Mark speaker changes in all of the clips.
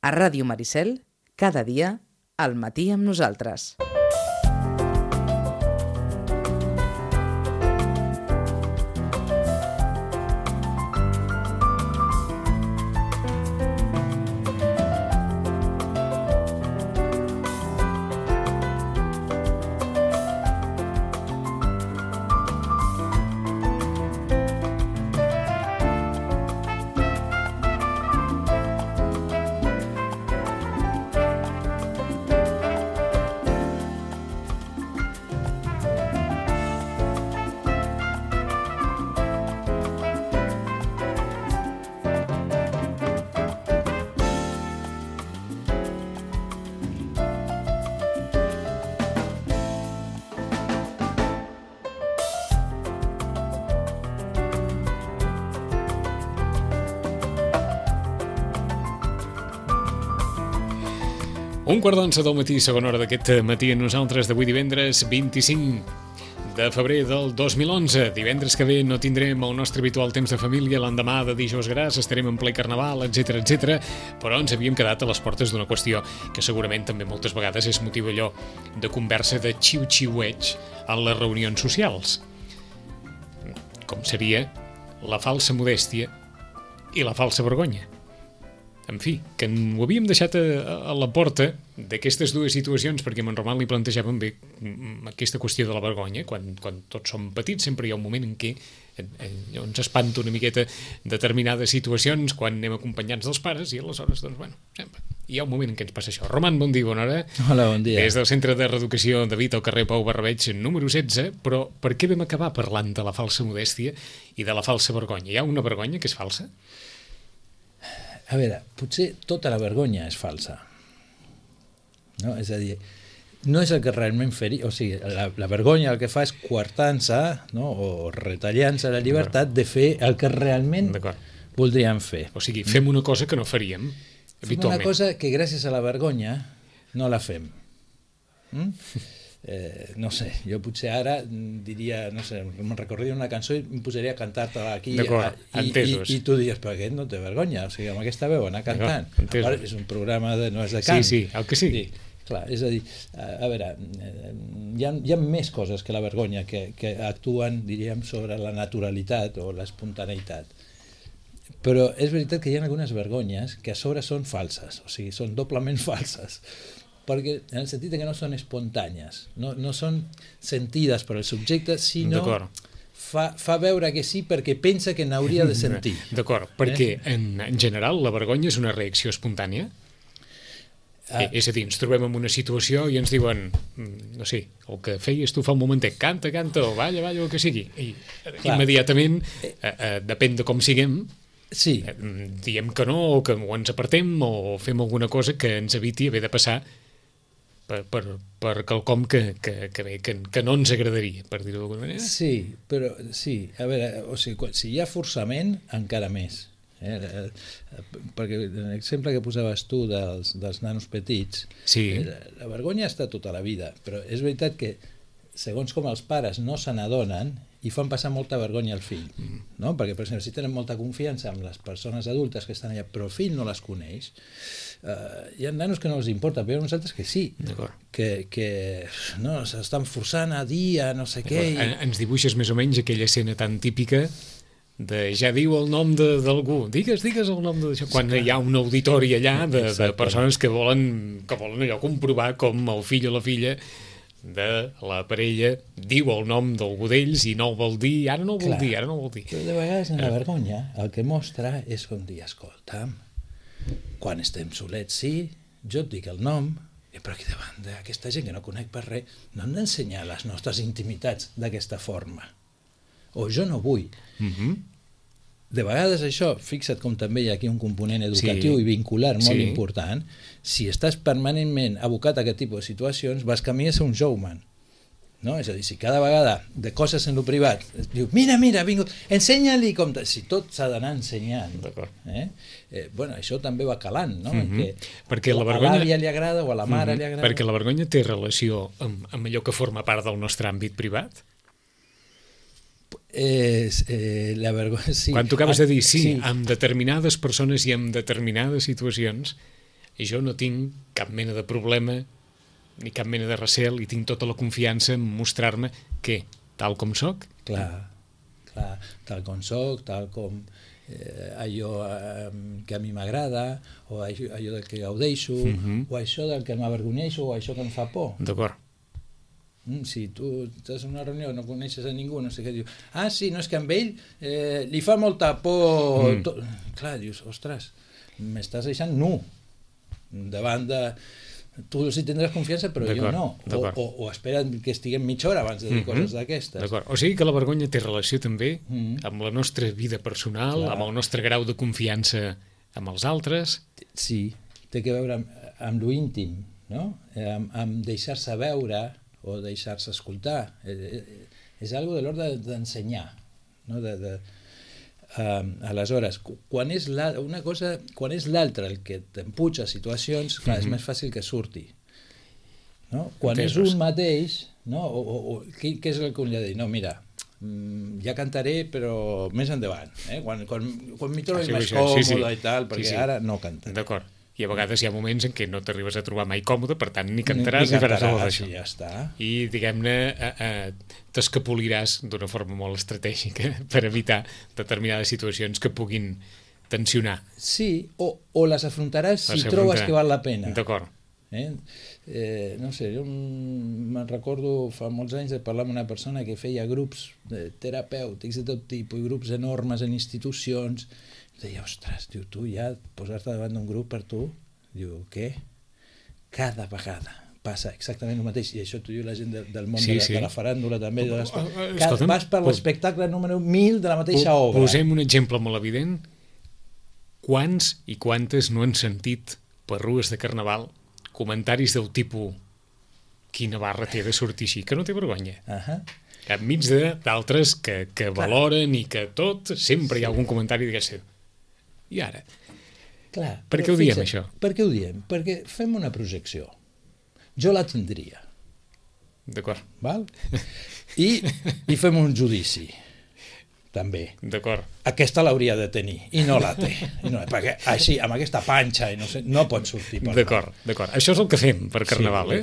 Speaker 1: A Ràdio Maricel, cada dia, al matí amb nosaltres.
Speaker 2: Un quart d'onze del matí, segona hora d'aquest matí a nosaltres d'avui divendres 25 de febrer del 2011. Divendres que ve no tindrem el nostre habitual temps de família, l'endemà de dijous gras estarem en ple carnaval, etc, però ens havíem quedat a les portes d'una qüestió que segurament també moltes vegades és motiu allò de conversa de xiu-xiueig en les reunions socials. Com seria la falsa modèstia i la falsa vergonya. En fi, que ho havíem deixat a la porta d'aquestes dues situacions perquè en Roman li plantejàvem bé aquesta qüestió de la vergonya. Quan tots som petits sempre hi ha un moment en què ens espanta una miqueta determinades situacions quan anem acompanyats dels pares i aleshores, doncs, bueno, sempre hi ha un moment en què ens passa això. Roman, bon dia, bona hora.
Speaker 3: Hola, bon dia.
Speaker 2: Des del Centre de Reeducació David al carrer Pau Barrabeig número 16, però per què vam acabar parlant de la falsa modèstia i de la falsa vergonya? Hi ha una vergonya que és falsa?
Speaker 3: A veure, potser tota la vergonya és falsa. No? És a dir, no és el que realment faria... O sigui, la vergonya el que fa és coartant-se, no? O retallant-se la llibertat de fer el que realment voldríem fer.
Speaker 2: O sigui, fem una cosa que no faríem habitualment.
Speaker 3: Fem una cosa que gràcies a la vergonya no la fem. No sé, jo potser ara diria, no sé, me'n recordaria una cançó i em posaria a cantar-te-la aquí i tu diries, però aquest no té vergonya, o sigui, amb aquesta veu anar cantant. És un programa no és de cant.
Speaker 2: Sí, el que sigui.
Speaker 3: Clar, és a dir, a veure, hi ha més coses que la vergonya que actuen, diríem, sobre la naturalitat o l'espontaneïtat. Però és veritat que hi ha algunes vergonyes que a sobre són falses, o sigui, són doblement falses, perquè en el sentit que no són espontànies, no són sentides per el subjecte, sinó fa veure que sí perquè pensa que n'hauria de sentir.
Speaker 2: D'acord, perquè en general la vergonya és una reacció espontània? És a dir, ens trobem en una situació i ens diuen, no sé, el que feies tu fa un momentet, canta, o balla, el que sigui. I immediatament, depèn de com siguem, diem que no, o que ens apartem, o fem alguna cosa que ens eviti haver de passar per quelcom que no ens agradaria, per dir-ho d'alguna manera.
Speaker 3: Sí, però sí, a veure, o sigui, si hi ha forçament, encara més. Perquè l'exemple que posaves tu dels nanos petits, la vergonya està tota la vida, però és veritat que segons com els pares no se n'adonen i fan passar molta vergonya al fill, no? Perquè, per exemple, si tenen molta confiança amb les persones adultes que estan allà, però el fill no les coneix, hi ha nanos que no els importa, però hi ha uns altres que sí, que no, s'estan forçant a dir a no sé què.
Speaker 2: Ens dibuixes més o menys aquella escena tan típica de ja diu el nom d'algú, digues el nom d'això, quan hi ha un auditori allà de persones que volen allò comprovar com el fill o la filla de la parella diu el nom d'algú d'ells i no el vol dir, ara no el vol dir.
Speaker 3: Però de vegades en la vergonya el que mostra és com dir, escolta, quan estem solets, sí, jo et dic el nom, però aquí davant d'aquesta gent que no conec per res, no hem d'ensenyar les nostres intimitats d'aquesta forma. O jo no vull. De vegades això, fixa't com també hi ha aquí un component educatiu i vincular molt important, si estàs permanentment abocat a aquest tipus de situacions, vas camí a ser un showman. No? És a dir, si cada vegada de coses en lo privat es diu, mira, ha vingut, ensenya-li com... Si tot s'ha d'anar ensenyant. Bueno, això també va calant, no?
Speaker 2: Perquè
Speaker 3: a l'àvia li agrada o a la mare li agrada.
Speaker 2: Perquè la vergonya té relació amb allò que forma part del nostre àmbit privat?
Speaker 3: La vergonya, sí.
Speaker 2: Quan tu acabes de dir amb determinades persones i amb determinades situacions, i jo no tinc cap mena de problema ni cap mena de recel i tinc tota la confiança en mostrar-me què? Tal com sóc?
Speaker 3: Clar, tal com soc, tal com allò que a mi m'agrada, o allò del que gaudeixo, o això del que m'avergonyeixo, o això que em fa por.
Speaker 2: D'acord.
Speaker 3: Si tu estàs en una reunió, no coneixes a ningú, no sé què, dius, sí, no, és que amb ell li fa molta por... Clar, dius, ostres, m'estàs deixant nu davant de... Tu sí tindràs confiança, però jo no. O espera't que estiguem mitja hora abans de dir coses d'aquestes.
Speaker 2: D'acord. O sigui que la vergonya té relació també amb la nostra vida personal, amb el nostre grau de confiança amb els altres.
Speaker 3: Sí, té que veure amb lo íntim, no? Amb deixar-se veure o deixar-se escoltar. És algo de l'ordre d'ensenyar, no? Aleshores, quan és l'altre el que t'empuja a situacions, clar, és més fàcil que surti, no? Quan és un mateix, no? Què és el que un li ha de dir? No, mira, ja cantaré però més endavant, quan m'hi trobo més còmode i tal, perquè ara no cantaré.
Speaker 2: D'acord. I a vegades hi ha moments en què no t'arribes a trobar mai còmode, per tant, ni cantaràs ni faràs res d'això.
Speaker 3: Ja està.
Speaker 2: I, diguem-ne, t'escapoliràs d'una forma molt estratègica per evitar determinades situacions que puguin tensionar.
Speaker 3: Sí, o les afrontaràs si trobes que val la pena.
Speaker 2: D'acord.
Speaker 3: No sé, jo me'n recordo fa molts anys de parlar amb una persona que feia grups terapèutics de tot tipus, i grups enormes en institucions. Deia, ostres, diu, tu ja posar-te davant d'un grup per tu, diu, què? Cada vegada passa exactament el mateix, i això t'ho diu la gent del món de la faràndula també, vas per l'espectacle número 1000 de la mateixa obra.
Speaker 2: Posem un exemple molt evident. Quants i quantes no han sentit per rues de carnaval comentaris del tipus quina barra té de sortir així, que no té vergonya. Enmig d'altres que valoren i que tot, sempre hi ha algun comentari d'aquest. I ara?
Speaker 3: Clar,
Speaker 2: per què ho diem, això?
Speaker 3: Per què ho diem? Perquè fem una projecció. Jo la tindria.
Speaker 2: D'acord.
Speaker 3: Val? I fem un judici. També.
Speaker 2: D'acord.
Speaker 3: Aquesta l'hauria de tenir, i no la té. Perquè així, amb aquesta panxa, no pot sortir per
Speaker 2: D'acord. Això és el que fem per Carnaval,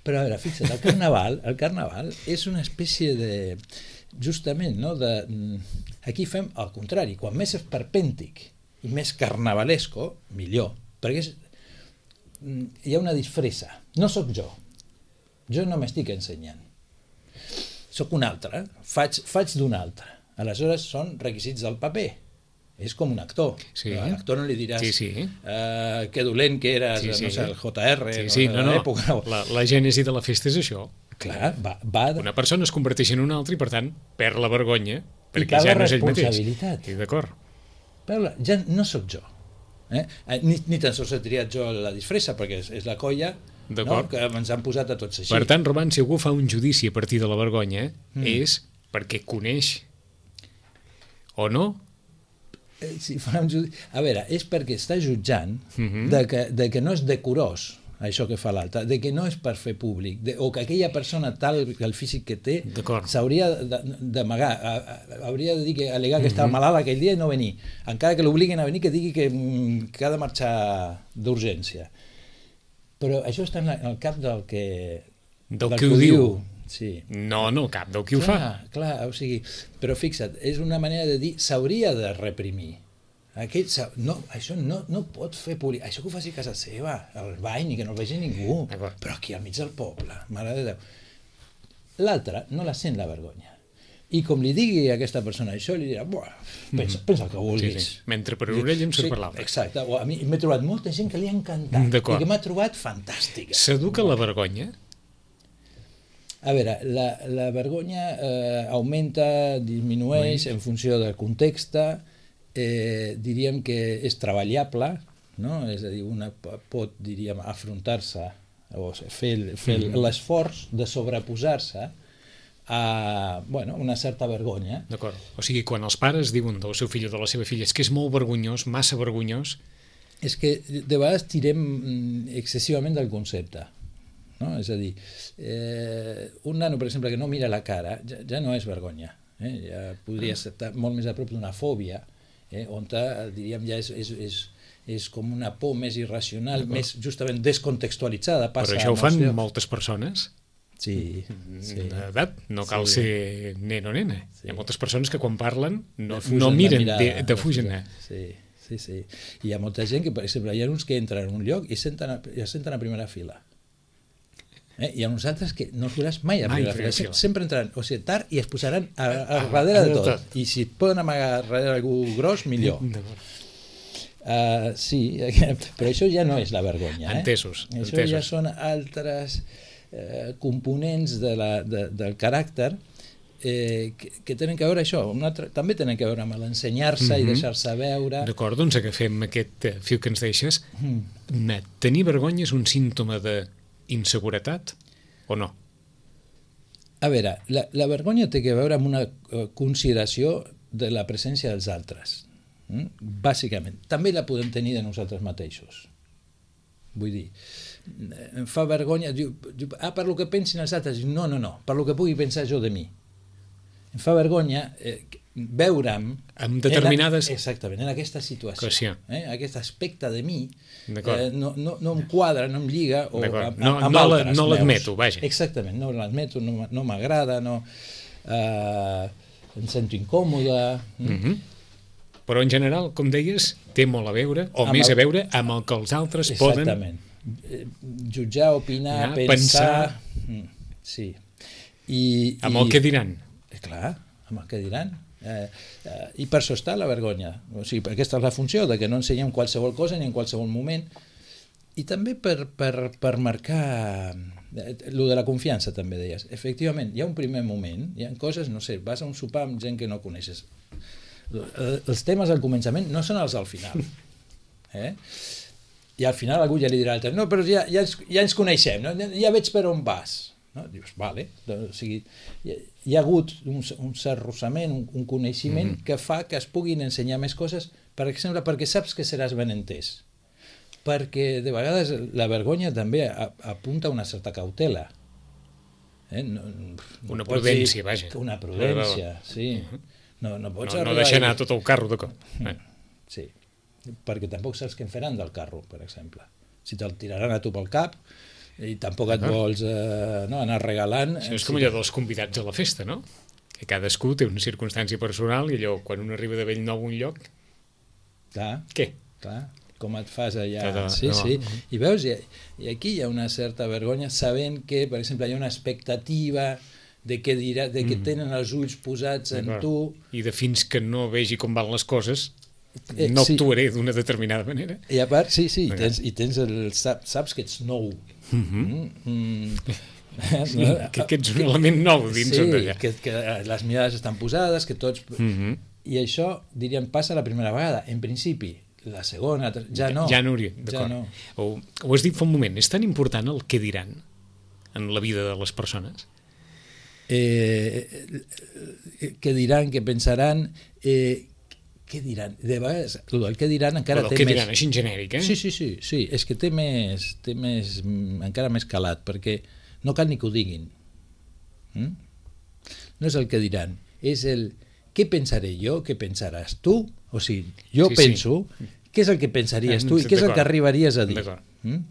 Speaker 3: Però a veure, fixa't, el Carnaval és una espècie de... Justament, no? Aquí fem el contrari. Quan més esperpèntic i més carnavalesco, millor. Perquè hi ha una disfressa. No sóc jo. Jo no m'estic ensenyant. Sóc un altre. Faig d'un altre. Aleshores són requisits del paper. És com un actor. A l'actor no li diràs que dolent que eres, no sé, el JR,
Speaker 2: la gènesi de la festa és això.
Speaker 3: Clar,
Speaker 2: una persona es converteix en una altra i per tant perd la vergonya perquè ja no és ell mateix. D'acord.
Speaker 3: Però ja no sóc jo. Ni tan sols he triat jo la disfressa perquè és la colla que ens han posat a tots així.
Speaker 2: Per tant, Roman, si algú fa un judici a partir de la vergonya és perquè coneix o no?
Speaker 3: A veure, és perquè està jutjant de que no és decorós això que fa l'altre, de que no és per fer públic, o que aquella persona tal el físic que té s'hauria d'amagar, hauria de dir que al·legar que estava malalt aquell dia i no venir, encara que l'obliguin a venir, que digui que ha de marxar d'urgència. Però això està en el cap del que
Speaker 2: ho diu.
Speaker 3: Sí.
Speaker 2: No, cap del qui ho fa.
Speaker 3: Clar, o sigui, però fixa't, és una manera de dir s'hauria de reprimir. Això no pot fer públic. Això que ho faci a casa seva, al bany, i que no el vegi ningú. Però aquí al mig del poble, mare de Déu. L'altre no la sent la vergonya. I com li digui a aquesta persona això, li dirà, pensa el que vulguis.
Speaker 2: Mentre per orella em surt per l'altre.
Speaker 3: Exacte. A mi m'he trobat molta gent que li ha encantat i que m'ha trobat fantàstica.
Speaker 2: S'educa la vergonya?
Speaker 3: A veure, la vergonya augmenta, disminueix en funció del context. Diríem que és treballable, no? És a dir, una pot, diríem, afrontar-se o fer l'esforç de sobreposar-se a una certa vergonya.
Speaker 2: D'acord. O sigui, quan els pares diuen del seu fill o de la seva filla és que és molt vergonyós, massa vergonyós...
Speaker 3: És que de vegades tirem excessivament del concepte. No? És a dir, un nano, per exemple, que no mira la cara, ja no és vergonya. Ja podria estar molt més a prop d'una fòbia, on diríem ja és és com una por més irracional, més justament descontextualitzada.
Speaker 2: Però això ho fan moltes persones.
Speaker 3: Sí.
Speaker 2: D'edat, no cal ser nen o nena. Hi ha moltes persones que quan parlen no miren, defugen.
Speaker 3: Sí. Hi ha molta gent que, per exemple, hi ha uns que entren en un lloc i es senten a primera fila. Hi ha uns altres que no els veuràs mai a primera fila. Sempre entraran, o sigui, tard, i es posaran a darrere de tot. I si poden amagar darrere algú gros, millor. Sí, però això ja no és la vergonya.
Speaker 2: Entesos.
Speaker 3: Això ja són altres components del caràcter que tenen que veure això. També tenen que veure amb l'ensenyar-se i deixar-se veure.
Speaker 2: D'acord, doncs agafem aquest fil que ens deixes. Tenir vergonya és un símptoma d'inseguretat o no?
Speaker 3: A veure, la vergonya té que veure amb una consideració de la presència dels altres. Bàsicament. També la podem tenir de nosaltres mateixos. Vull dir, em fa vergonya, diu, per lo que pensin els altres, no, per lo que pugui pensar jo de mi. Em fa vergonya veure'm
Speaker 2: amb determinades...
Speaker 3: Exactament, en aquesta situació. Aquest aspecte de mi no em quadra, no em lliga amb altres.
Speaker 2: No l'admeto, vaja.
Speaker 3: Exactament, no l'admeto, no m'agrada, em sento incòmode...
Speaker 2: Però en general, com deies, té molt a veure, o més a veure, amb el que els altres poden...
Speaker 3: Exactament. Jutjar, opinar, pensar... Sí.
Speaker 2: Amb el que diran.
Speaker 3: Clar, amb el que diran. I per això està la vergonya. O sigui, aquesta és la funció, de que no ensenyem qualsevol cosa ni en qualsevol moment. I també per marcar... Lo de la confiança, també deies. Efectivament, hi ha un primer moment, hi ha coses, no sé, vas a un sopar amb gent que no coneixes. Els temes al començament no són els al final. I al final algú ja li dirà l'altre, no, però ja ens coneixem, no? Ja veig per on vas. No? Dius, vale. O sigui, hi ha hagut un cert rossament, un coneixement que fa que es puguin ensenyar més coses, per exemple, perquè saps que seràs ben entès. Perquè de vegades la vergonya també apunta a una certa cautela.
Speaker 2: Una prudència, vaja.
Speaker 3: Una prudència, sí. No
Speaker 2: deixar anar tot el carro de cop.
Speaker 3: Sí, perquè tampoc saps què en faran del carro, per exemple. Si te'l tiraran a tu pel cap i tampoc et vols anar regalant...
Speaker 2: Això és com allò dels convidats a la festa, no? Que cadascú té una circumstància personal i allò, quan un arriba de bell nou a un lloc...
Speaker 3: Clar.
Speaker 2: Què?
Speaker 3: Clar, com et fas allà... Sí. I veus, i aquí hi ha una certa vergonya sabent que, per exemple, hi ha una expectativa... de què tenen els ulls posats en tu...
Speaker 2: I de fins que no vegi com van les coses, no actuaré d'una determinada manera.
Speaker 3: I a part, sí, saps que ets nou.
Speaker 2: Que ets un element nou dins d'allà.
Speaker 3: Sí, que les mirades estan posades, que tots... I això, diríem, passa la primera vegada. En principi, la segona, ja no.
Speaker 2: Ja no hauria, d'acord. Ho has dit fa un moment, és tan important el què diran en la vida de les persones?
Speaker 3: Què diran, què pensaran, què diran? De vegades, el què diran encara té més...
Speaker 2: El què diran, així en genèric,
Speaker 3: Sí, és que té encara més calat, perquè no cal ni que ho diguin. No és el què diran, és el què pensaré jo, què pensaràs tu, o sigui, jo penso, què és el que pensaries tu i què és el que arribaries a dir.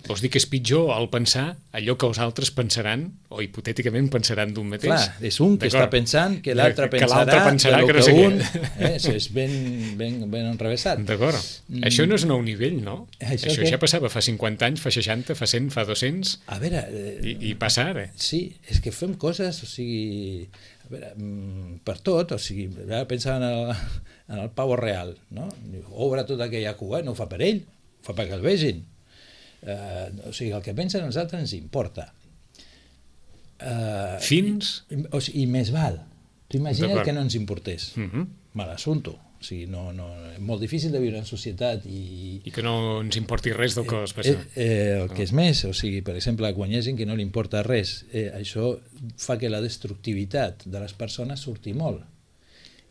Speaker 2: Vols dir que és pitjor el pensar allò que els altres pensaran o hipotèticament pensaran d'un mateix?
Speaker 3: Clar, és un que està pensant que l'altre pensarà que un és ben enrevessat.
Speaker 2: D'acord. Això no és nou nivell, no? Això ja passava fa 50 anys, fa 60, fa 100, fa 200...
Speaker 3: A veure...
Speaker 2: I passa ara.
Speaker 3: Sí, és que fem coses, o sigui... A veure, per tot, o sigui, pensar en el pavo real, no? Obre tota aquella cua, no ho fa per ell, ho fa perquè el vegin. O sigui, el que pensen els altres ens importa.
Speaker 2: Fins?
Speaker 3: I més val. Tu imagina't que no ens importés. Mal assumpto. O sigui, és molt difícil de viure en societat i
Speaker 2: que no ens importi res del que es passa.
Speaker 3: El que és més, o sigui, per exemple, quan hi ha gent que no li importa res, això fa que la destructivitat de les persones surti molt.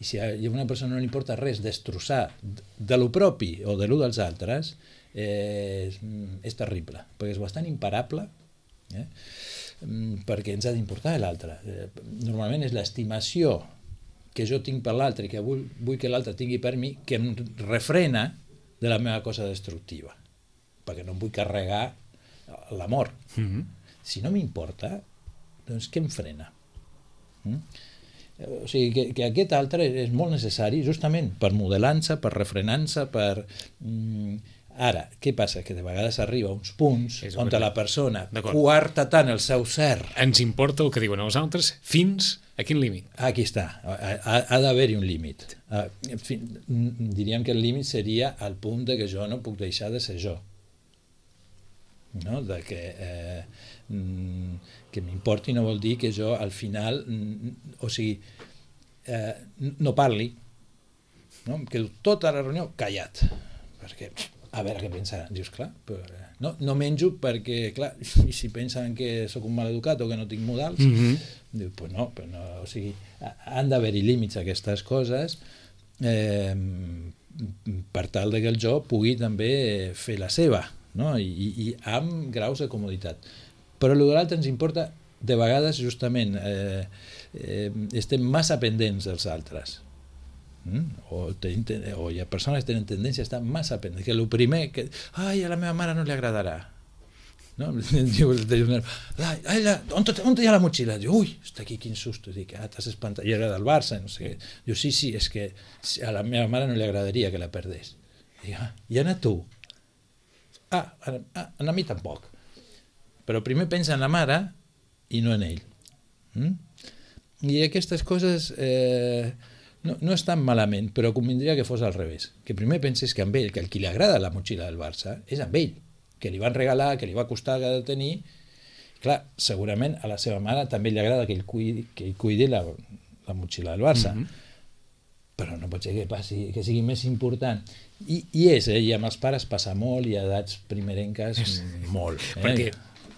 Speaker 3: I si a una persona no li importa res destrossar de lo propi o de lo dels altres, és terrible, perquè és bastant imparable, perquè ens ha d'importar l'altre. Normalment és l'estimació que jo tinc per l'altre i que vull que l'altre tingui per mi que em refrena de la meva cosa destructiva, perquè no em vull carregar l'amor. Si no m'importa, doncs què em frena? O sigui, que aquest altre és molt necessari justament per modelar-se, per refrenar-se, per... Ara, què passa? Que de vegades arriba a uns punts on la persona coarta tant el seu ser...
Speaker 2: Ens importa el que diuen els altres fins a quin límit?
Speaker 3: Aquí està, ha d'haver-hi un límit. Diríem que el límit seria al punt de que jo no puc deixar de ser jo. No? De que m'importi no vol dir que jo al final o sigui no parli, no? Em quedo tota la reunió callat perquè a veure què pensaran. Dius, clar, no menjo perquè, clar, i si pensen que sóc un maleducat o que no tinc modals, dius, pues no, o sigui, han d'haver-hi límits a aquestes coses per tal que el jo pugui també fer la seva, no? I amb graus de comoditat. Però el que l'altre ens importa, de vegades, justament, estem massa pendents dels altres. O hi ha persones que tenen tendència a estar massa pendents, que el primer que ai, a la meva mare no li agradarà, no? Diu, on hi ha la motxilla? Diu, ui, està aquí, quin susto. Dic, t'has espantat, i era del Barça, no sé què. Diu, sí, és que a la meva mare no li agradaria que la perdés. Dic, i a tu? A mi tampoc, però primer pensa en la mare i no en ell. I aquestes coses no estan malament, però convindria que fos al revés, que primer penses que amb ell, que el qui li agrada la motxilla del Barça és amb ell, que li van regalar, que li va costar que ha de tenir. Clar, segurament a la seva mare també li agrada que ell cuidi la motxilla del Barça, però no pot ser que sigui més important. I amb els pares passa molt, i a edats primerenques molt.
Speaker 2: Perquè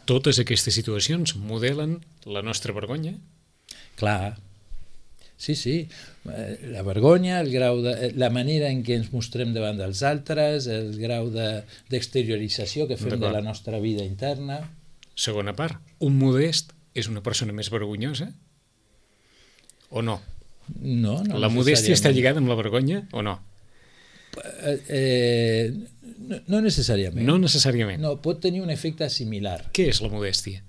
Speaker 2: totes aquestes situacions modelen la nostra vergonya?
Speaker 3: Clar, sí, la vergonya, el grau la manera en què ens mostrem davant dels altres, el grau d'exteriorització que fem de la nostra vida interna.
Speaker 2: Segona part, un modest és una persona més vergonyosa o no?
Speaker 3: No
Speaker 2: la modèstia està lligada amb la vergonya o no?
Speaker 3: No necessàriament.
Speaker 2: No necessàriament.
Speaker 3: No, pot tenir un efecte similar.
Speaker 2: Què és la modèstia?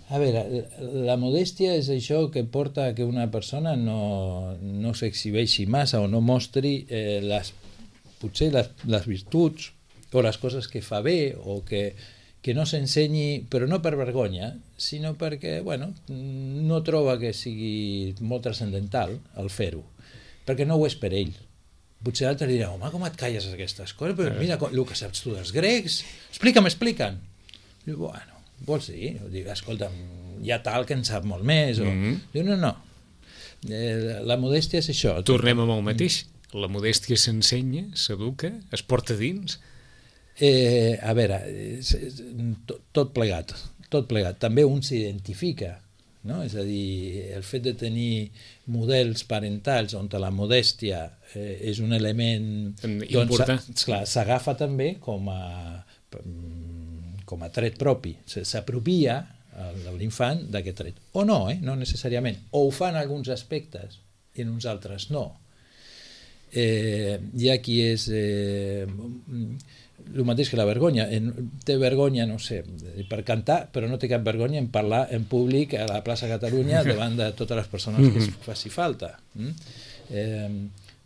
Speaker 3: A veure, la modèstia és això que porta a que una persona no s'exhibeixi massa o no mostri potser les virtuts o les coses que fa bé, o que no s'ensenyi, però no per vergonya, sinó perquè no troba que sigui molt transcendental el fer-ho, perquè no ho és per ell. Potser l'altre dirà, home, com et calles aquestes coses? Però mira el que saps tu dels grecs, explica'm. Diu, bueno, vols dir? Diu, escolta'm, hi ha tal que en sap molt més. Diu, no. La modèstia és això.
Speaker 2: Tornem amb el mateix. La modèstia s'ensenya, s'educa, es porta dins?
Speaker 3: A veure, tot plegat. També un s'identifica, no? És a dir, el fet de tenir models parentals on la modèstia és un element
Speaker 2: important,
Speaker 3: s'agafa també com a tret propi, s'apropia l'infant d'aquest tret, o no, no necessàriament, o ho fan alguns aspectes i en uns altres no. Hi ha qui és el mateix que la vergonya, té vergonya, no sé, per cantar, però no té cap vergonya en parlar en públic a la plaça Catalunya davant de totes les persones que es faci falta.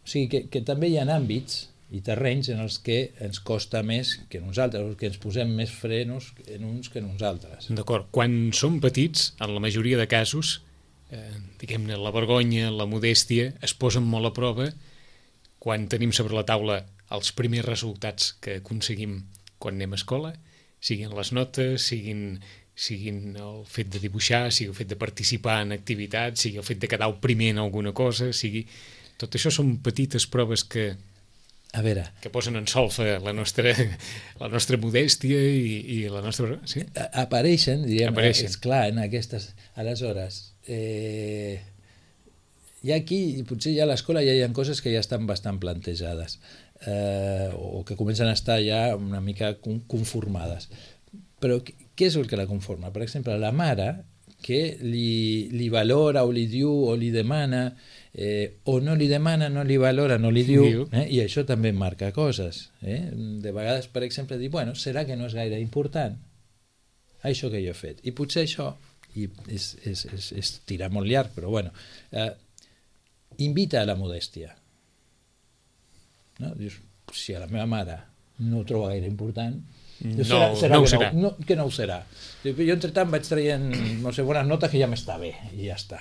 Speaker 3: O sigui que també hi ha àmbits i terrenys en els que ens costa més que nosaltres, que ens posem més frenos en uns que en uns altres.
Speaker 2: D'acord. Quan som petits, en la majoria de casos, diguem-ne, la vergonya, la modèstia, es posen molt a prova quan tenim sobre la taula els primers resultats que aconseguim quan anem a escola, siguin les notes, siguin el fet de dibuixar, sigui el fet de participar en activitats, sigui el fet de quedar el primer en alguna cosa, sigui... Tot això són petites proves que posen en solfa la nostra modèstia i la nostra... Sí?
Speaker 3: Apareixen, és clar, en aquestes... Aleshores, hi ha aquí, potser ja a l'escola ja hi ha coses que ja estan bastant plantejades, o que comencen a estar ja una mica conformades. Però què és el que la conforma? Per exemple, la mare que li valora o li diu o li demana o no li demana, no li valora, no li diu, i això també marca coses. De vegades, per exemple, dir, bueno, serà que no és gaire important això que jo he fet. I potser això, i és tirar molt llarg, però bueno, invita a la modèstia. No? Dius, si a la meva mare no ho troba gaire important,
Speaker 2: no ho serà.
Speaker 3: Que no ho serà. Jo entretant vaig traient, no sé, bones notes que ja m'està bé, i ja està.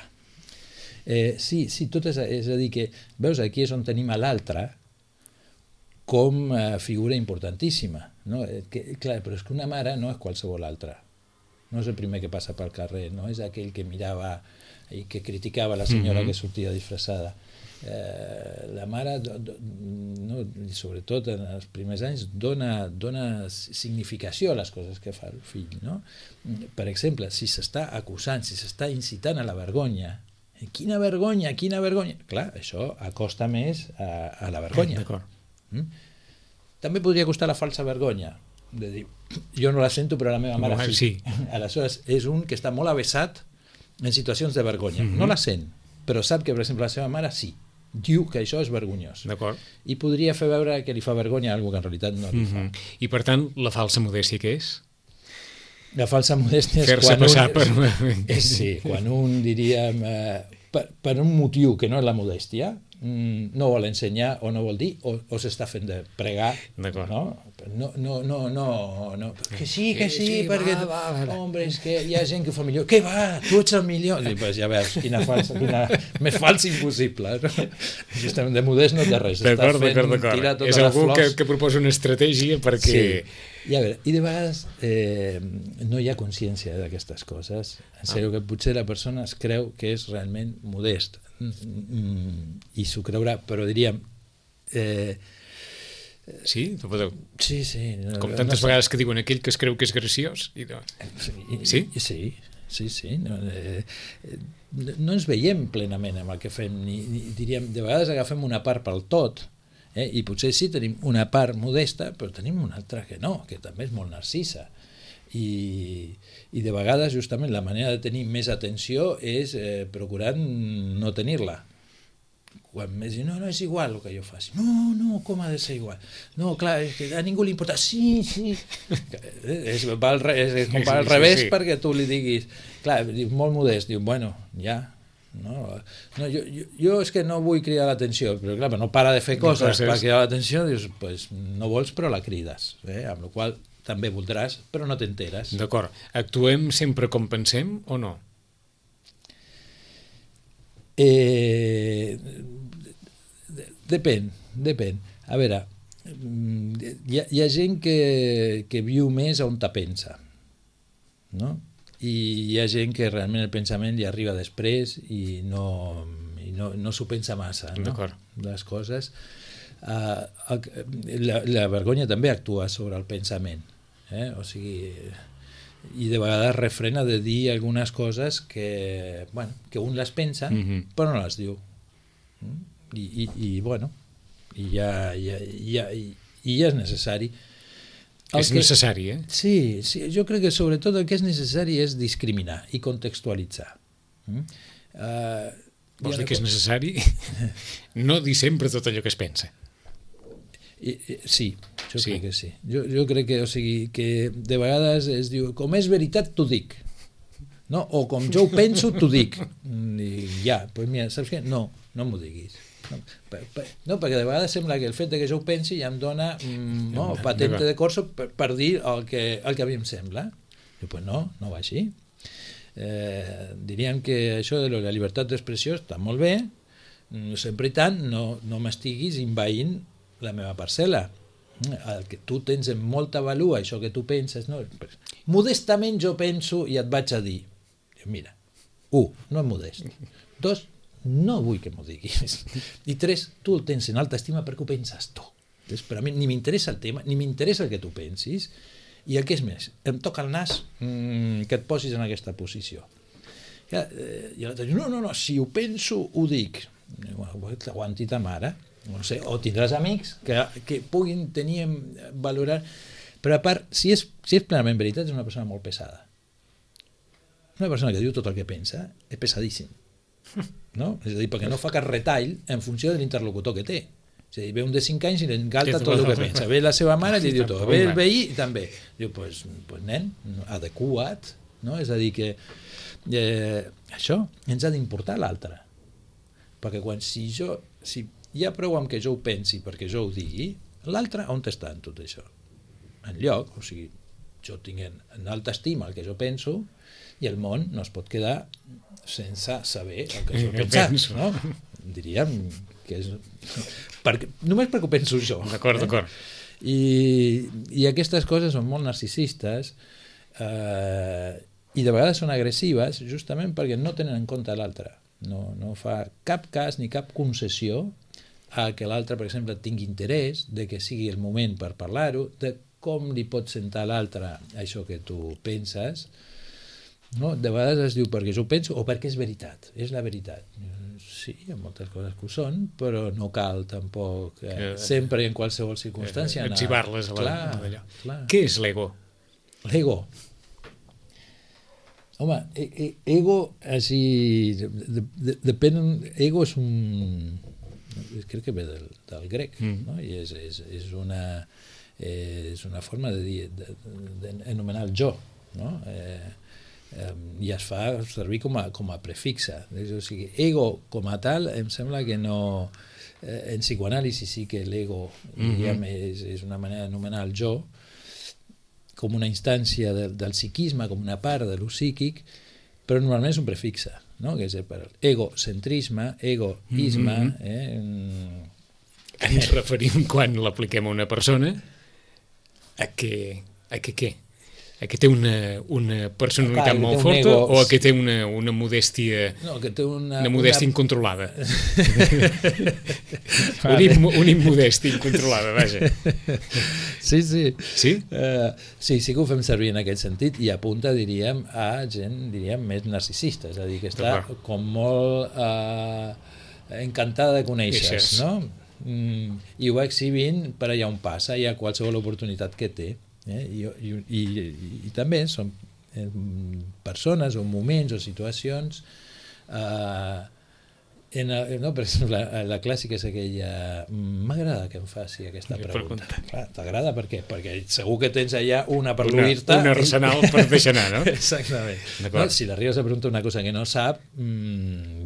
Speaker 3: Sí, tot és a dir que, veus, aquí és on tenim a l'altre com figura importantíssima. No? Clar, però és que una mare no és qualsevol altra. No és el primer que passa pel carrer, no és aquell que mirava i que criticava la senyora que sortia disfressada. La mare, sobretot en els primers anys, dona significació a les coses que fa el fill. No? Per exemple, si s'està acusant, si s'està incitant a la vergonya, quina vergonya! Clar, això acosta més a la vergonya. També podria acostar la falsa vergonya, de dir, jo no la sento però la meva mare sí. Aleshores és un que està molt avesat en situacions de vergonya. No la sent, però sap que, per exemple, la seva mare sí. Diu que això és vergonyós. I podria fer veure que li fa vergonya algo que en realitat no li fa.
Speaker 2: I per tant, la falsa modèstia què és?
Speaker 3: La falsa modèstia és
Speaker 2: fer-se passar per...
Speaker 3: Sí, quan un, diríem, per un motiu que no és la modèstia, no vol ensenyar o no vol dir, o s'està fent de pregar, no? Que sí, perquè hombre, és que hi ha gent que ho fa millor. Què va? Tu ets el millor. I pues ja veus, quina més falsa impossible. Justament de modest no té res.
Speaker 2: D'acord. És algú que proposa una estratègia perquè...
Speaker 3: I a veure, i de vegades no hi ha consciència d'aquestes coses. En sèrio, que potser la persona es creu que és realment modest i s'ho creurà, però diríem...
Speaker 2: Sí?
Speaker 3: Sí.
Speaker 2: Com tantes vegades que diuen aquell que es creu que és graciós. Sí?
Speaker 3: Sí. No ens veiem plenament amb el que fem. Diríem, de vegades agafem una part pel tot, i potser sí tenim una part modesta, però tenim una altra que no, que també és molt narcisa. I de vegades justament la manera de tenir més atenció és procurant no tenir-la. Quan més diu, no és igual el que jo faci. No, com ha de ser igual? No, clar, és que a ningú li importa. Sí. És com va al revés perquè tu li diguis, clar, molt modest, diu, bueno, ja. No, jo és que no vull cridar l'atenció, però clar, no para de fer coses per cridar l'atenció, dius, pues no vols però la crides, amb la qual també voldràs però no t'enteres.
Speaker 2: D'acord, actuem sempre com pensem o no?
Speaker 3: Depèn. A veure, hi ha gent que viu més on te pensa, no? I hi ha gent que realment el pensament li arriba després i no s'ho pensa massa, no? Les coses. La vergonya també actua sobre el pensament, o sigui, i de vegades refrena de dir algunes coses que un les pensa però no les diu, i ja és necessari.
Speaker 2: És necessari,
Speaker 3: Sí, jo crec que sobretot el que és necessari és discriminar i contextualitzar.
Speaker 2: Vols dir que és necessari? No dir sempre tot allò que es pensa.
Speaker 3: Sí, jo crec que sí. Jo crec que, o sigui, que de vegades es diu, com és veritat t'ho dic, no? O com jo ho penso t'ho dic. I ja, doncs mira, saps què? No m'ho diguis. No, perquè de vegades sembla que el fet que jo ho pensi ja em dona patente de corso per dir el que a mi em sembla. Pues no va així. Diríem que això de la llibertat d'expressió està molt bé, sempre i tant no m'estiguis envaint la meva parcel·la. El que tu tens en molta valua, això que tu penses, no? Modestament jo penso i et vaig a dir, mira, 1, no és modest, 2, no vull que m'ho diguis, i 3, tu el tens en alta estima perquè ho penses tu. Per a mi ni m'interessa el tema, ni m'interessa el que tu pensis, i el que és més, em toca el nas que et posis en aquesta posició. I l'altre diu, no, si ho penso ho dic. Aguanti ta mare, no sé, o tindràs amics que puguin tenir, valorar, però a part, si és plenament veritat, és una persona molt pesada. Una persona que diu tot el que pensa és pesadíssim. no? És a dir, perquè no fa cap retall en funció de l'interlocutor que té. És a dir, ve un de 5 anys i li encalta tot el que pensa. Ve la seva mare i li diu tot. Ve el veí i també. Diu, pues nen, adequat, no? És a dir, que això ens ha d'importar l'altre. Perquè si hi ha prou amb que jo ho pensi perquè jo ho digui, l'altre on està en tot això? En lloc, o sigui, jo tinc en alta estima el que jo penso i el món no es pot quedar sense saber el que jo penso, no? Diríem que és... només perquè ho penso jo.
Speaker 2: D'acord.
Speaker 3: I aquestes coses són molt narcisistes i de vegades són agressives justament perquè no tenen en compte l'altre. No fa cap cas ni cap concessió a que l'altre, per exemple, tingui interès, de que sigui el moment per parlar-ho, de com li pot sentar l'altre això que tu penses. No? De vegades es diu perquè jo ho penso o perquè és veritat, és la veritat. Sí, hi ha moltes coses que ho són, però no cal tampoc sempre i en qualsevol circumstància
Speaker 2: etzibar-les a l'allò.
Speaker 3: Clar.
Speaker 2: Què és l'ego?
Speaker 3: L'ego. Home, ego, així, depèn, ego és un... crec que ve del grec, no? I és una forma de dir, d'anomenar el jo, no? I es fa servir com a prefixa. O sigui, ego com a tal em sembla que no... En psicoanàlisi sí que l'ego és una manera d'anomenar el jo com una instància del psiquisme, com una part de lo psíquic, però normalment és un prefixe, no? Que és per egocentrisme, egoisme...
Speaker 2: Ens referim, quan l'apliquem a una persona, a que què? A que té una personalitat molt forta o a que té una modèstia una modèstia incontrolada? Una immodèstia incontrolada, vaja.
Speaker 3: Sí.
Speaker 2: Sí?
Speaker 3: Sí que ho fem servir en aquest sentit i apunta, diríem, a gent, més narcisista, és a dir, que està com molt encantada de conèixer-se, no? I ho va exhibint per allà on passa i a qualsevol oportunitat que té. I també són persones o moments o situacions per exemple la clàssica és aquella m'agrada que em faci aquesta pregunta. T'agrada per què? Perquè segur que tens allà una per l'oir-te,
Speaker 2: un arsenal per deixar anar, no?
Speaker 3: Exactament. Si l'arribes a preguntar una cosa que no sap,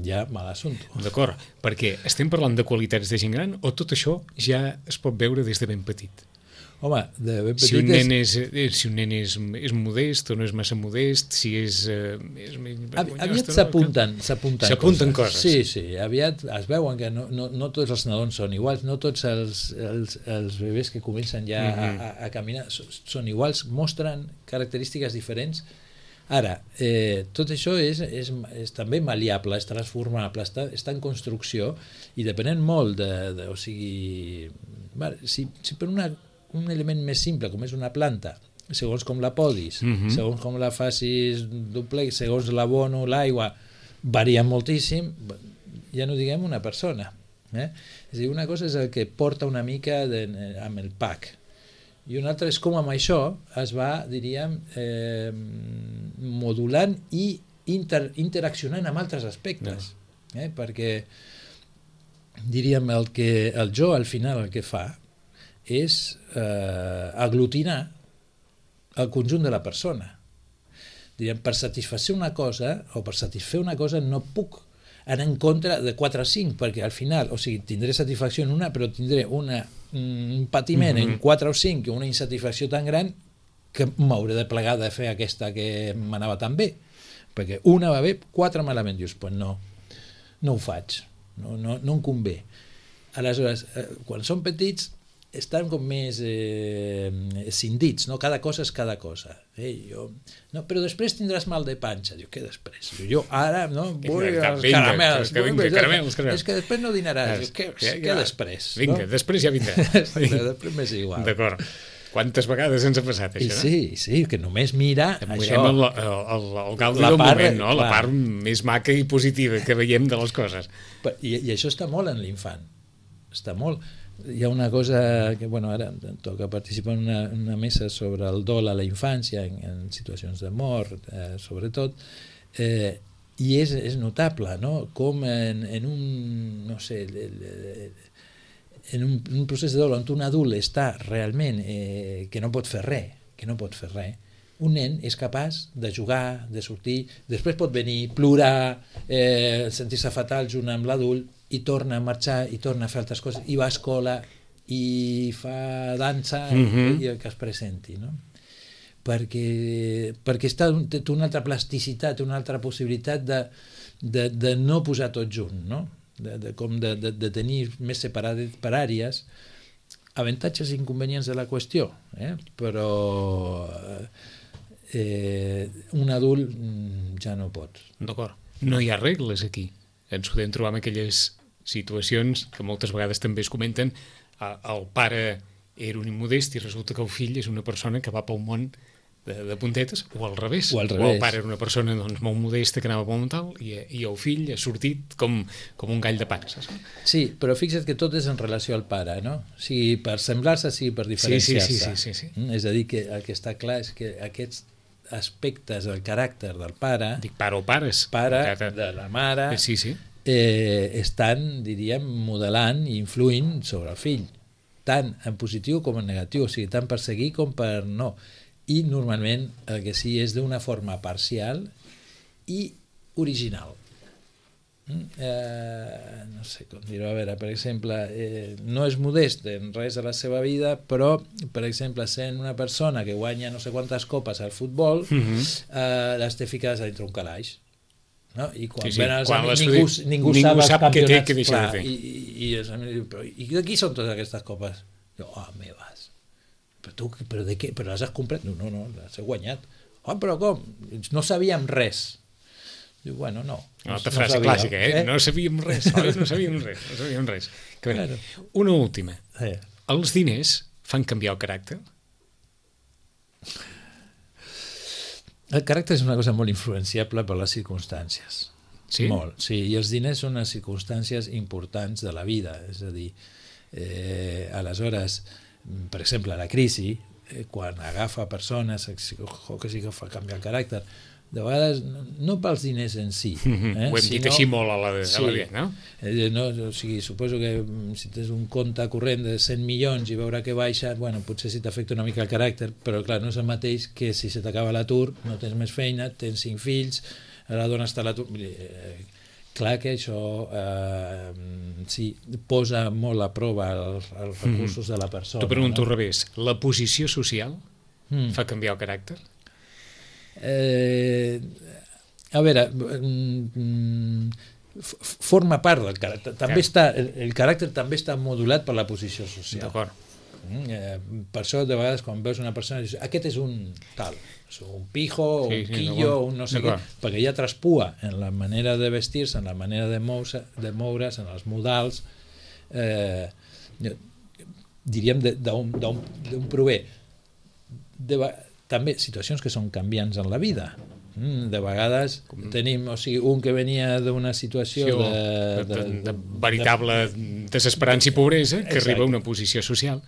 Speaker 3: ja mal assumpte.
Speaker 2: D'acord, perquè estem parlant de qualitats de gent gran o tot això ja es pot veure des de ben petit?
Speaker 3: Home, de ben petit...
Speaker 2: Si un nen és modest o no és massa modest, si és...
Speaker 3: Aviat s'apunten coses. Sí, aviat es veuen que no tots els nadons són iguals, no tots els bebès que comencen ja a caminar són iguals, mostren característiques diferents. Ara, tot això és també mal·leable, és transformable, està en construcció i depenent molt de o sigui... Si per un element més simple, com és una planta, segons com la podis, segons com la facis duplex, segons l'abono, l'aigua, varia moltíssim, ja no diguem una persona. És a dir, una cosa és el que porta una mica amb el pack, i una altra és com amb això es va, diríem, modulant i interaccionant amb altres aspectes. Perquè, diríem, el jo al final el que fa és aglutinar el conjunt de la persona. Diríem, per satisfer una cosa no puc anar en contra de 4 o 5, perquè al final, o sigui, tindré satisfacció en una, però tindré un patiment en 4 o 5 i una insatisfacció tan gran que m'hauré de plegar de fer aquesta que m'anava tan bé, perquè una va bé, 4 malament. Dius, pues no ho faig, no em convé. Aleshores, quan són petits estan com més cindits, no? Cada cosa és cada cosa. Però després tindràs mal de panxa. Diu, què després? Jo ara vull els caramels. És que després no dinaràs. Què després?
Speaker 2: Vinga, després ja vindrà.
Speaker 3: Després m'és igual.
Speaker 2: D'acord. Quantes vegades ens ha passat això, no?
Speaker 3: Sí, que només mira això.
Speaker 2: El gaudi del moment, no? La part més maca i positiva que veiem de les coses.
Speaker 3: I això està molt en l'infant. Està molt... Hi ha una cosa que, ara em toca participar en una mesa sobre el dol a la infància, en situacions de mort, sobretot. I és notable, no? Com en un, no sé, en un procés de dol on un adult està realment que no pot fer res, un nen és capaç de jugar, de sortir, després pot venir, plorar, sentir-se fatal junt amb l'adult i torna a marxar i torna a fer altres coses i va a escola i fa dansa i el que es presenti, no? Perquè té una altra plasticitat, una altra possibilitat de no posar tot junt, no? De tenir més separades per àrees, avantatges i inconvenients de la qüestió, però un adult ja no pot.
Speaker 2: D'acord. No hi ha regles aquí. Ens podem trobar en aquelles situacions que moltes vegades també es comenten. El pare era un immodest i resulta que el fill és una persona que va pel món de puntetes, o al revés. O el pare era una persona doncs, molt modesta que anava pel món tal i el fill ha sortit com un gall de pan. Saps?
Speaker 3: Sí, però fixa't que tot és en relació al pare, no? Sigui per semblar-se, sigui per diferenciar-se.
Speaker 2: Sí.
Speaker 3: És a dir, que el que està clar és que aquests aspectes del caràcter del pare...
Speaker 2: Dic pare o pares.
Speaker 3: Pare, de la mare...
Speaker 2: Sí.
Speaker 3: Estan, diríem, modelant i influint sobre el fill, tant en positiu com en negatiu, o sigui, tant per seguir com per no. I normalment el que sí és d'una forma parcial i original. No sé com dir-ho, a veure, per exemple, no és modest en res de la seva vida, però, per exemple, sent una persona que guanya no sé quantes copes al futbol, les té ficades a dintre un calaix. No? I quan ven els amics ningú sap els campionats
Speaker 2: què deixa de fer.
Speaker 3: I de qui són totes aquestes copes? Jo, meves. Però de què? Però les has comprat? No, les he guanyat. Però com? No sabíem res. Diu, bueno, no.
Speaker 2: Una frase clàssica, No sabíem res. No sabíem res. Claro. Una última. Els diners fan canviar el caràcter?
Speaker 3: El caràcter és una cosa molt influenciable per les circumstàncies.
Speaker 2: Sí?
Speaker 3: Molt, sí. I els diners són unes circumstàncies importants de la vida. És a dir, aleshores, per exemple, la crisi, quan agafa persones que sí que fa canviar el caràcter, de vegades no pels diners en si.
Speaker 2: Ho hem dit així molt a la vida, no?
Speaker 3: O sigui, suposo que si tens un compte corrent de 100 milions i veure que baixa, bueno, potser sí t'afecta una mica el caràcter, però clar, no és el mateix que si se t'acaba l'atur, no tens més feina, tens 5 fills, la dona està a l'atur... Clar que això sí, posa molt a prova els recursos de la persona.
Speaker 2: T'ho pregunto al revés. La posició social fa canviar el caràcter?
Speaker 3: A veure, forma part del caràcter. També el caràcter també està modulat per la posició social.
Speaker 2: D'acord.
Speaker 3: Per això de vegades quan veus una persona dius, aquest és un tal, un pijo, un quillo, un no sé què, perquè ja traspua en la manera de vestir-se, en la manera de moure's, en els modals, diríem d'on prové. També situacions que són canviants en la vida. De vegades tenim un que venia d'una situació
Speaker 2: de veritable desesperança i pobresa que arriba a una posició social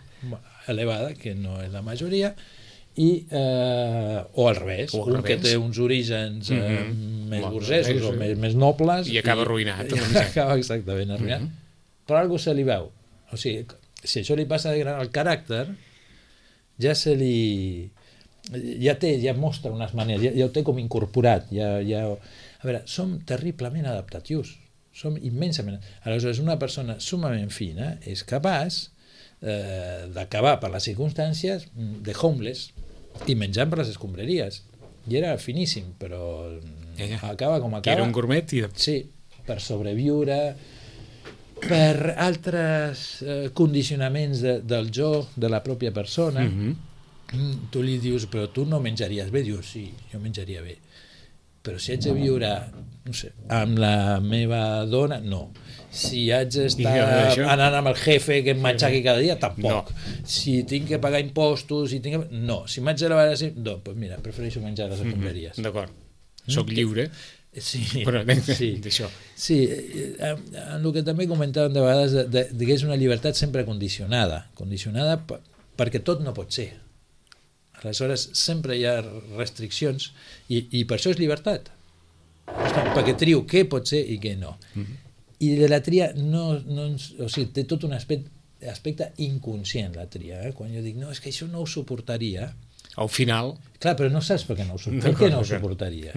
Speaker 3: elevada, que no és la majoria, o al revés, un que té uns orígens més burgesos o més nobles
Speaker 2: i acaba arruïnat.
Speaker 3: Acaba exactament arruïnat. Per algú se li veu. O sigui, si això li passa de gran al caràcter, ja se li... ja mostra unes maneres, ja ho té com incorporat. A veure, som terriblement adaptatius, som immensament... Aleshores, una persona sumament fina és capaç d'acabar per les circumstàncies de homeless i menjant per les escombraries. I era finíssim, però acaba com acaba.
Speaker 2: Era un gourmet i...
Speaker 3: Sí, per sobreviure, per altres condicionaments del jo, de la pròpia persona. Tu li dius, però tu no menjaries bé? Dius, sí, jo menjaria bé. Però si haig de viure, no sé, amb la meva dona, no. Si haig d'estar anant amb el jefe que em matxaqui cada dia, tampoc. Si tinc que pagar impostos, no. Si m'haig de lavar així, no, doncs mira, prefereixo menjar a les escombraries.
Speaker 2: D'acord. Soc lliure.
Speaker 3: Sí,
Speaker 2: però
Speaker 3: d'això. Sí, en el que també comentàvem de vegades, que és una llibertat sempre condicionada perquè tot no pot ser. Aleshores, sempre hi ha restriccions i per això és llibertat. perquè trio què pot ser i què no. I de la tria o sigui, té tot un aspecte inconscient, la tria. Quan jo dic, no, és que això no ho suportaria.
Speaker 2: Al final...
Speaker 3: Clar, però no saps per què no ho suportaries. Per què no ho suportaries?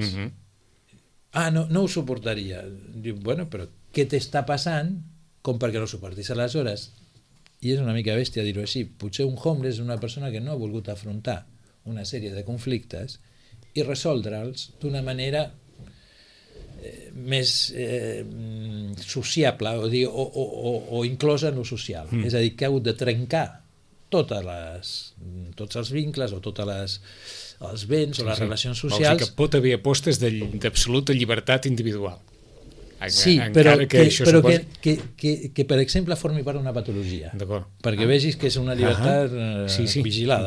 Speaker 3: No ho suportaria. Diu, bueno, però què t'està passant com perquè no ho suportis? Aleshores, i és una mica bèstia dir-ho així, potser un homeless és una persona que no ha volgut afrontar una sèrie de conflictes i resoldre'ls d'una manera més sociable o inclosa en lo social. És a dir, que ha hagut de trencar tots els vincles o tots els béns o les relacions socials.
Speaker 2: O sigui que pot haver apostes d'absoluta llibertat individual.
Speaker 3: Sí, però que per exemple formi part d'una patologia, perquè vegis que és una llibertat vigilada.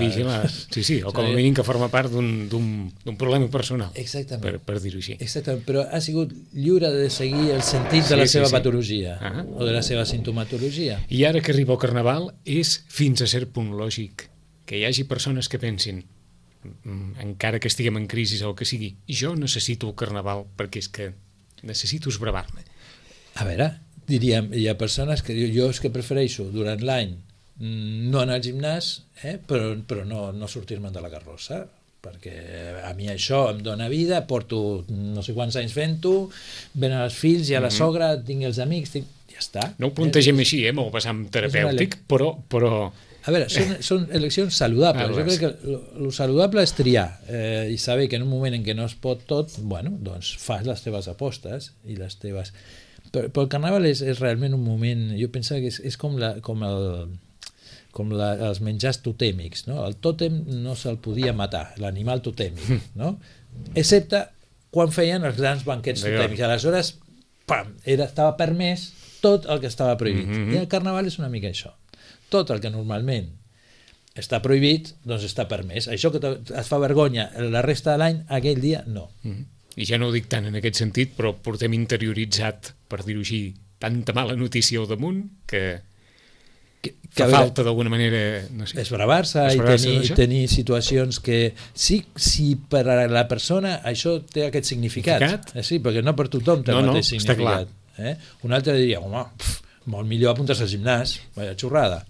Speaker 2: Sí, o com a mínim que forma part d'un problema personal.
Speaker 3: Exactament.
Speaker 2: Per dir-ho així.
Speaker 3: Exactament, però ha sigut lliure de seguir el sentit de la seva patologia o de la seva sintomatologia.
Speaker 2: I ara que arriba el Carnaval és fins a cert punt lògic que hi hagi persones que pensin, encara que estiguem en crisi o el que sigui, jo necessito el Carnaval perquè és que necessito esbravar-me.
Speaker 3: A veure, diríem, hi ha persones que diuen, jo és que prefereixo durant l'any no anar al gimnàs, però no sortir-me'n de la carrossa, perquè a mi això em dona vida, porto no sé quants anys fent-ho, venen els fills i a la sogra, tinc els amics, ja està.
Speaker 2: No ho plantegem així, amb el vessant terapèutic, però...
Speaker 3: A veure, són eleccions saludables. Jo crec que el saludable és triar i saber que en un moment en què no es pot tot, bueno, doncs fas les teves apostes i les teves... Però el Carnaval és realment un moment... Jo penso que és com els menjars totèmics, no? El tòtem no se'l podia matar, l'animal totèmic, no? Excepte quan feien els grans banquets totèmics. Aleshores, pam, estava permès tot el que estava prohibit. I el Carnaval és una mica això. Tot el que normalment està prohibit, doncs està permès. Això que et fa vergonya la resta de l'any, aquell dia no.
Speaker 2: I ja no ho dic tant en aquest sentit, però portem interioritzat, per dir-ho així, tanta mala notícia al damunt que fa falta d'alguna manera, no sé,
Speaker 3: esbravar-se i tenir situacions que sí per a la persona això té aquest significat. Sí, perquè no per tothom té el mateix significat. Un altre diria, home, molt millor apuntar-se al gimnàs, vaya xorrada.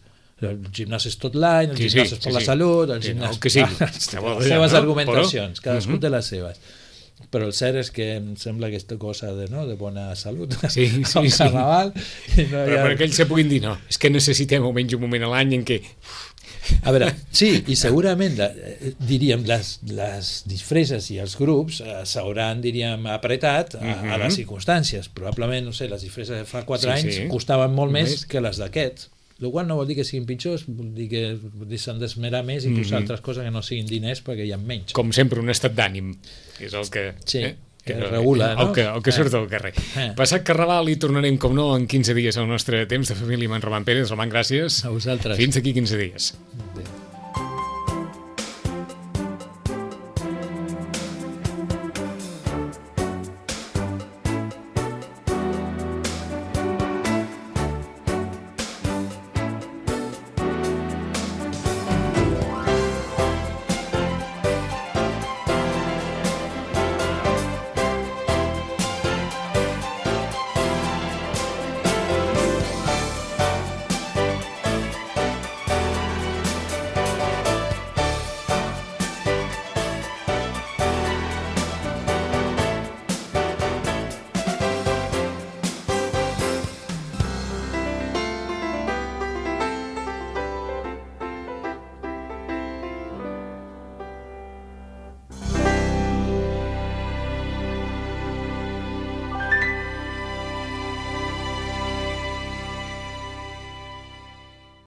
Speaker 3: El gimnàs és tot l'any, el gimnàs és per la salut, el gimnàs... Les seves argumentacions, cadascú té les seves. Però el cert és que em sembla aquesta cosa de bona salut al Carnaval...
Speaker 2: Però per aquells que puguin dir, no, és que necessitem almenys un moment a l'any en què...
Speaker 3: A veure, sí, i segurament, diríem, les disfresses i els grups s'hauran, diríem, apretat a les circumstàncies. Probablement, no sé, les disfresses de fa 4 anys costaven molt més que les d'aquest. El qual no vol dir que siguin pitjors, vol dir que s'han d'esmerar més i posar altres coses que no siguin diners perquè hi ha menys.
Speaker 2: Com sempre, un estat d'ànim, que és el que...
Speaker 3: que regula, no?
Speaker 2: El que surt al carrer. Passat Carnaval i tornarem, com no, en 15 dies al nostre temps de família amb en Roman Pérez. Roman, gràcies.
Speaker 3: A vosaltres.
Speaker 2: Fins aquí 15 dies.
Speaker 3: Bé.